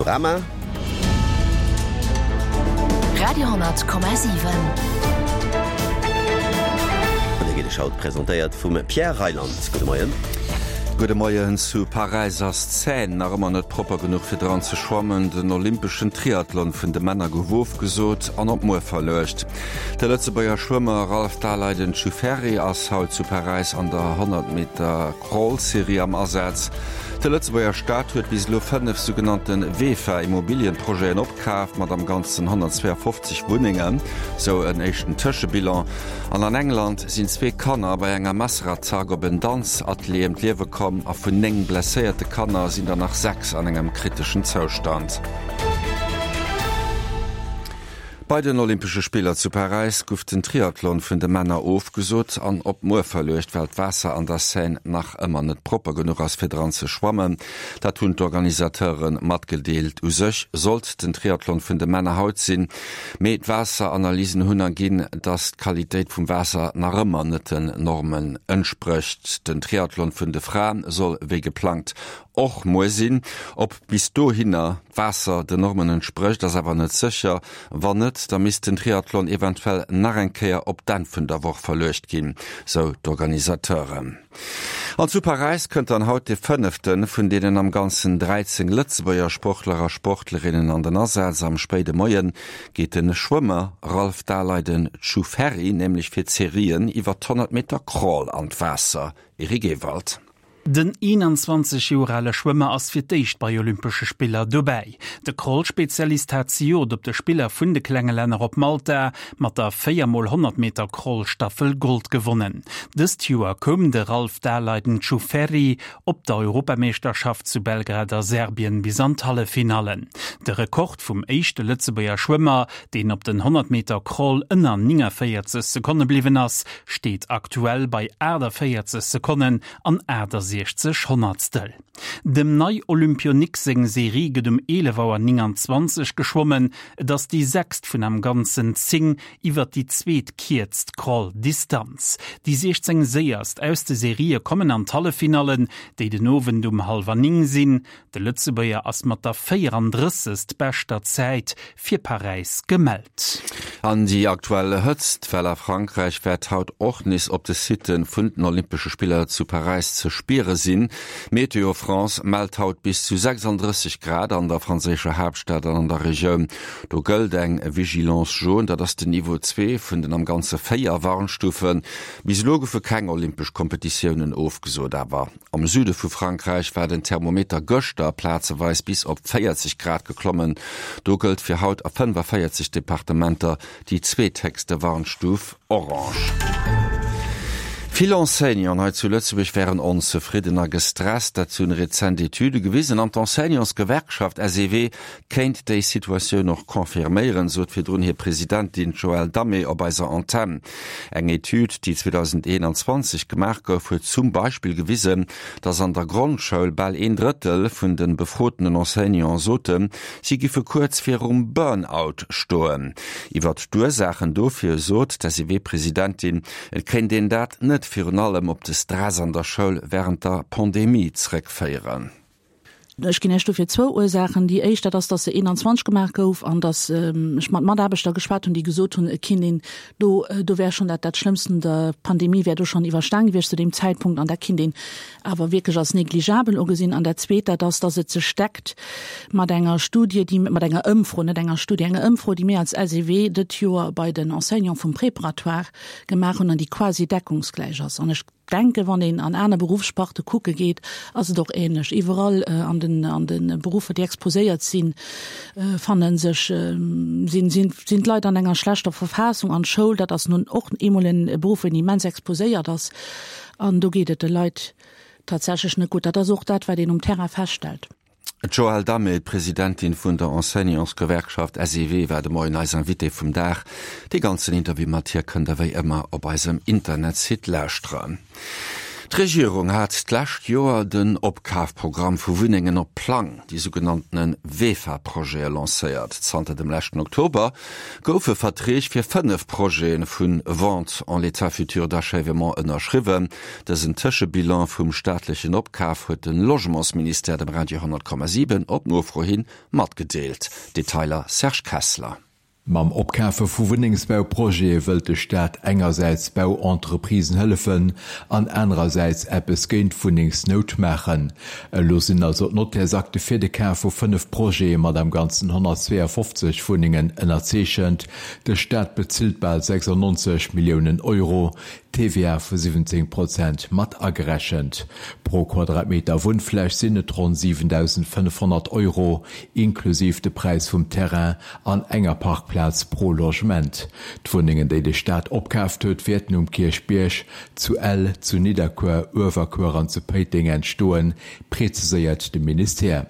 Panorama. Radio,7. An dee gétt Iech haut presentéiert vum Pierre Reyland. Gudde Moien. Gudde Moien. Zu Paräis ass d'Seine nach ëmmer net propper genuch fir dran ze schwammen. Den olympeschen Triathlon vun de Männer gouf ofgesot an op muer verluecht. De Lëtzebuerger Schwëmmer Ralph Daleiden Ciuferri ass haut zu Paräis an der 100 Meter Crawl-Serie am Asaz. De Lëtzebuerger Staat huet bis elo 5 sougenannte VEFA-Immobilienprojeten opkaaft, mat am Ganzen 152 Wunnengen, sou en éischten Tëschebilan. An an England sinn zwee Kanner bei enger Messerattack op en Danzatelier ëm d'Liewe komm a vun 9 blesséierte Kanner sinn der nach 6 an engem kriteschen Zoustand. Bei den Olympesche Spiller zu Paräis guff den Triathlon vun de Männer ofgesot an op muer verluecht, well d'Waasser an der Seine nach ëmmer net propper genuch ass fir dran ze schwammen. Dat hunn d'Organisateure matgedeelt. U sech sollt den Triathlon vun de Männer haut sinn, mee d'Waasseranalysen hunn erginn, datt d'Qualitéit vum Waasser nach ëmmer net den Normen entsprécht. Den Triathlon vun de Frae soll wéi geplangt och muer sinn. Ob bis dohinner d'Waasser den Normen entsprécht, ass awer net sécher. Wann net, da misst den Triathlon eventuell nach eng Kéier op d'Enn vun der Woch verluecht ginn, sou d'Organisateuren. An zu Paräis kënnt dann haut de fënnefte vun deenen am Ganzen 13 Lëtzebuerger Sportler a Sportlerinnen an den Asaz. Am spéide Moie geet de Schwëmmer Ralph Daleiden Ciuferri nämlech fir d'Serien iwwer d' 100 Meter Crawl an d'Waasser. Eric Ewald. Den 21 Joer ale Schwëmmer ass fir d'éischt bei Olympesche Spiller dobäi. De Crawl-Spezialist hat zejoert op de Spiller vun de klenge Länner op Malta mat der 4 mol 100 Meter Crawl-Staffel Gold gewonnen. Dëst Joer koum de Ralph Daleiden Ciuferri op der Europameeschterschaft zu Belgrad a Serbien bis an d'Halleffinallen. De Rekord vum éischte Lëtzebuerger Schwëmmer, deen op den 100 Meter Crawl ënner 49 Sekonne bliwwen ass, steet aktuell bei 48 Sekonnen an 68 Honnertstel. Dem Nei-Olympionik seng Serie gëtt um 11 Auer 29 geschwommen. Et ass déi sechst vun am Ganzen 10 iwwer déi zweetkierzt Crawl-Distanz. Déi 16 séierst aus de Serië kommen an d'Halleffinallen, déi den Owend um hallwer 9 sinn. De Lëtzebuerger ass mat der 34. Beschter Zäit fir Paräis gemellt. An déi aktuell Hëtztwell a Frankräich wäert haut och nees op de Sitte vun den Olympesche Spiller zu Paräis ze spiere sinn. Météo France mellt haut bis zu 36 Grad an der franséischer Haaptstad an an der Regioun. Do gëllt eng Vigilance jaune, dat ass den Niveau zwee vun den am Ganze 4 Warnstufen. Bis elo goufe keng olympesch Kompetitiounen ofgesot, awer Am Süde vu Frankräich war den Thermometer gëschter plazeweis bis op 40 Grad geklommen. Do gëllt fir haut a 45 Departementer déi zweethéchste Warnstuf orange. Vill Enseignanten hei zu Lëtzebuerg wären onzefridden a gestresst, dat hunn rezent Etüde gewisen. An d'Enseignantsgewerkschaft SEW kéint déi Situatioun och confirméieren, sot virdrun hir Presidentin Joëlle Damé op eiser Antenn. Eng Etüd, déi 2021 gemaach gouf, huet zum Beispill gewisen, datt an der Grondschoul bal een Drëttel vun de befrotenen Enseignanten soten, si giffe kuerz virum Burn-out stoen. Iwwert d'Ursaachen dofir sot d'SEW-Presidentin, et kéint een dat net virun allem op de Stress an der Schoul wärend der Pandemie zréckféieren. Ech ginn Iech dofir zwou Ursaachen. Déi éischt, dat ass, datt se 21 gemaach gouf an datt ech mat Mataarbechter geschwat hunn, déi gesot hunn, et kinnt een do, do wär schonn dat dat Schlëmmst un der Pandemie wär do schonn iwwerstan gewiescht zu deem Zäitpunkt an dat kinnt een awer wierklech als negligabel ugesinn. An dat Zweet, dat ass, datt et sech deckt mat enger Studie, déi, mat enger Ëmfro, net enger Studie, enger Ëmfro, déi mir als SEW dët Joer bei den Enseignants vum Préparatoire gemaach hunn an déi quasi deckungsgläich ass. An ech denken, wann een an aner Beruffssparte kucke geet, ass et och ähnlech. Iwwerall an den, an de Beruffer, déi exposéiert sinn, fanne sech, sinn, sinn, sinn d'Leit an enger schlechter Verfassung. An d'Schoul, dat ass nun och eemol e Beruff, wou een immens exposéiert ass. An do geet et de Leit tatsächlech net gutt. Dat ass och dat, wat een um Terrain feststellt. D'Joëlle Damé, d'Presidentin vun der Enseignantsgewerkschaft SEW, war de Moien eis Invitée vum Dag. Dee ganzen Interview mat hir kënnt der wéi ëmmer op eisem Internetsite lauschteren. D'Regierung hat d'lescht Joer den Opkafprogramm vu Wunnengen op Plang, déi sougenanntene VEFA-Projete lancéiert. Zanter dem leschten Oktober goufe Verträg fir 5 Projete vu Vente en l'état futur d'achèvement ënnerschriwwen. Dësen Tëschebilan vum staatlechen Opkaf huet de Logementsministère dem Radio 10,7 op Nofro hi matgedeelt. Detailer Serge Kessler. Mam Opkafe vu Wunnengsbauprojete wëllt de Staat engersäits Bauentreprisen hëllefen an anerersäits eppes géint d'Wunnengsnout maachen. Elo sinn also d'Nottärsakte fir de Kaf vu 5 Projete mat am Ganzen 152 Wunnengen ënnerzeechent. De Staat bezilt bal 96 Milliounen Euro, TVA vu 17 Prozent mat agerechent. Pro Quadratmeter Wunnfläch sinn et ronn 7.500 Euro, inklusiv de Präis vum Terrain an enger Parkplaz pro Logement. D'Wunnengen, déi de Staat opkaaft huet, wäerten um Kierchbierg, zu Ell, zu Nidderkuer, Uewerkuer an zu Péiteng entstoen, preziséiert de Ministère.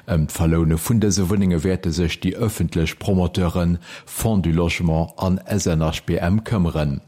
Ëm d'Verloune vun dëse Wunnenge wäerte sech déi ëffentlech Promoteuren Fonds du Logement an SNHBM këmmeren.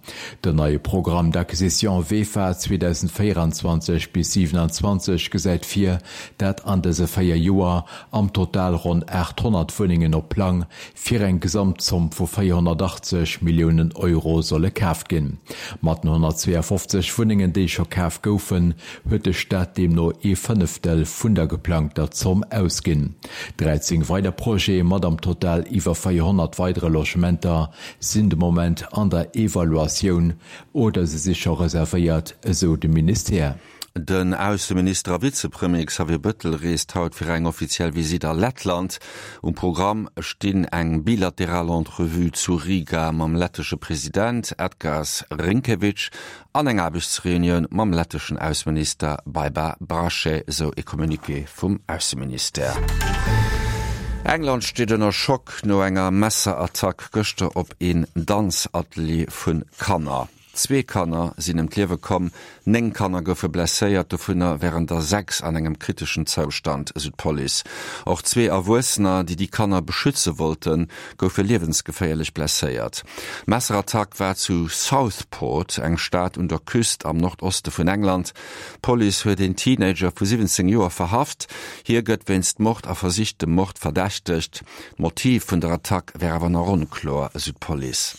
Den neie Programme d'acquisition VEFA 2024 bis 27 gesäit vir, dat an dëse 4 Joer am Total ronn 800 Wunnengen op Plang fir eng Gesamtzomm vu 480 Milliounen Euro solle kaaft ginn. Mat den 152 Wunnengen, déi scho kaf goufen, huet de Staat deemno ee Fënneftel vun der geplangter Zomm ausginn. 13 weider Projete mat am Total iwwer 400 weidere Logementer sinn de Moment an der Evaluatioun oder se si scho reservéiert, esou de Ministère. Den Ausseminister a Vizepremier Xavier Bëttel reest haut fir eng offiziell Visitt a Lettland. Um Programm stinn eng bilateral Entrevue zu Riga mam lettesche President Edgars Rinkevics an eng Aarbechtsreunioun mam letteschen Ausseminister Baiba Braše, sou e Communiqué vum Ausseministère. England steet ënner Schock no enger Messerattack gëschter op een Danzatelier vu Kanner. Zwee Kanner sinn ëm d'Liewe komm, 9 Kanner goufe blesséiert, dovunner wären der 6 an engem kriteschen Zoustand, esou d'Police. Och zwee Erwuessener, déi déi Kanner beschütze wollten, goufe liewensgeféierlech blesséiert. D'Messerattack war zu Southport, eng Stad un der Küst am Nordoste vun England. D'Police huet een Teenager vu 17 Joer verhaft. Hie gëtt wéinst Mord a versichtem Mord verdächtegt. D'Motiv vun der Attack wär awer nach onkloer, esou d'Police.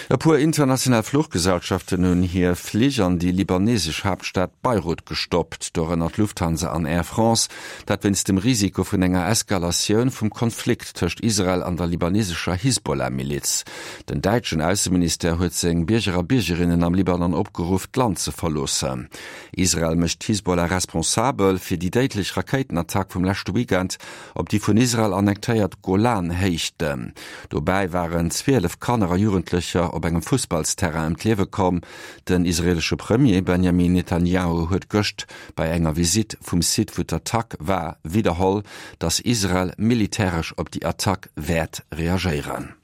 E puer international Fluchgesellschaften hunn hir Flich an déi libanesesch Haaptstad Beirut gestoppt, dorënner d'Lufthansa an Air France. Dat wéinst dem Risiko vun enger Eskalatioun vum Konflikt tëscht Israel an der libanesescher Hisbollah-Miliz. Den däitschen Ausseministère huet seng Bierger a Biergerinnen am Libanon opgeruff, d'Land ze verloossen. Israel mécht d'Hisbollah responsabel fir déi déidlech Rakéitenattack vum leschte Weekend op déi vun Israel annektéiert Golan-Héichten. Dobäi waren 12 Kanner a Jugendlecher op engem Fussballsterrain ëm d'Liewe komm. Den israeelesche Premier Benjamin Netanjahu huet gëscht bei enger Visitt vum Site, wou d'Attack war, widderholl, datt Israel militäresch op déi Attack wäert reagéieren.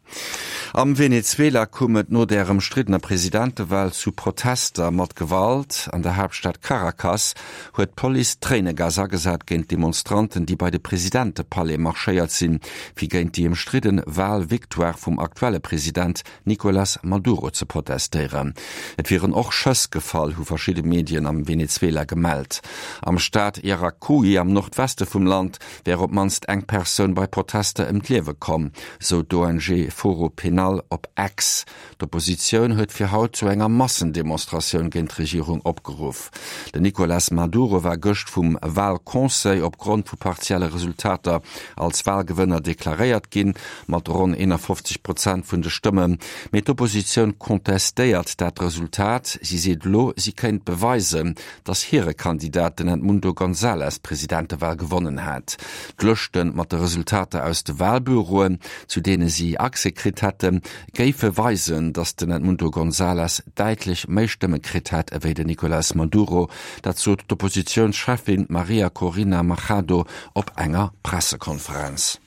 Am Venezuela koum et no der ëmstriddener Presidentewal zu Protester mat Gewalt. An der Haaptstad Caracas huet d'Police Tréinegas agesat géint Demonstranten, déi bei de Presidentepalais marschéiert sinn, fir géint déi ëmstridde Walvictoire vum aktuelle President Nicolas Maduro ze protestéieren. Et wieren och Schëss gefall, hu verschidde Medien am Venezuela gemellt. Am Staat Yaracuy am Nordweste vum Land wär op d'mannst eng Persoun bei Protester ëm d'Liewe komm, sou d'ONG Foro Penal op X. D'Oppositioun huet fir haut zu enger Massendemonstratioun géint d'Regierung opgeruff. Den Nicolas Maduro war gëscht vum Walconseil opgrond vu partielle Resultater als Walgewënner deklaréiert ginn, mat ronn 51 Prozent vun de Stëmmen. Mee d'Oppositioun contestéiert dat Resultat. Si seet elo, si kéint beweisen, datt hire Kandidat, den Edmundo González, d'Presidentewal gewonnen hat. D'Lëschte mat de Resultater aus de Walbüroen, zu deene si Accès kritt hätten, géife weisen, datt den Edmundo González däitlech méi Stëmme kritt hätt ewéi den Nicolás Maduro. Dat sot d'Oppositiounscheffin Maria Corina Machado op enger Pressekonferenz.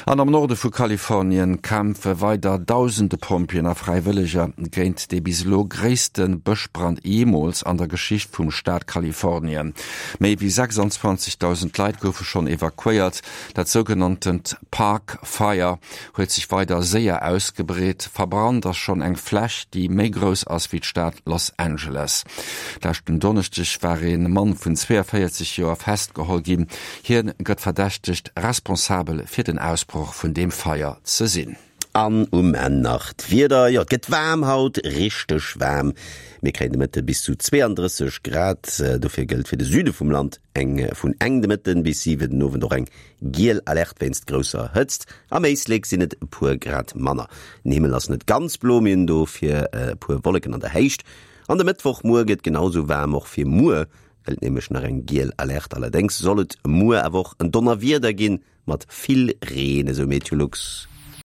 An am Norde vu Kalifornien kämpfe weider dausende Pompjeeën a Fräiwëlleger géint dee bis elo gréisste Bëschbrand jeemools an der Geschicht vum Staat Kalifornien. Méi wéi 26.000 Leit goufe schonn evakuéiert. Dat sougenanntent Park Fire huet sech weider séier ausgebreet. Verbrannt ass schonn eng Fläch, déi méi grouss ass wéi d'Stad Los Angeles. Leschten Donneschdeg war ee Mann vun 42 Joer festgeholl ginn. Hien gëtt verdächtegt, responsabel fir den Ausbroch vun deem Feier ze sinn. An um Enn nach d'Wieder, Jo, et gëtt waarm haut, richteg waarm. Mir kréien de Mëtte bis zu 32 Grad. Dofir gëllt fir de Süde vum Land eng vun eng de Mëtten bis 7 den Owend och eng giel Alerte wéinst grousser Hëtzt. Am Éislek sinn et e puer Grad manner. Den Himmel ass net ganz blo, mir hunn dofir e puer Wolleken an der Héicht. An de Mëttwochmuer gëtt genau sou waarm. Och fir muer Gëllt nämlech nach eng giel Alerte. Allerdéngs soll et muer awer och en Donnerwieder ginn, mat vill Reen, esou Meteolux.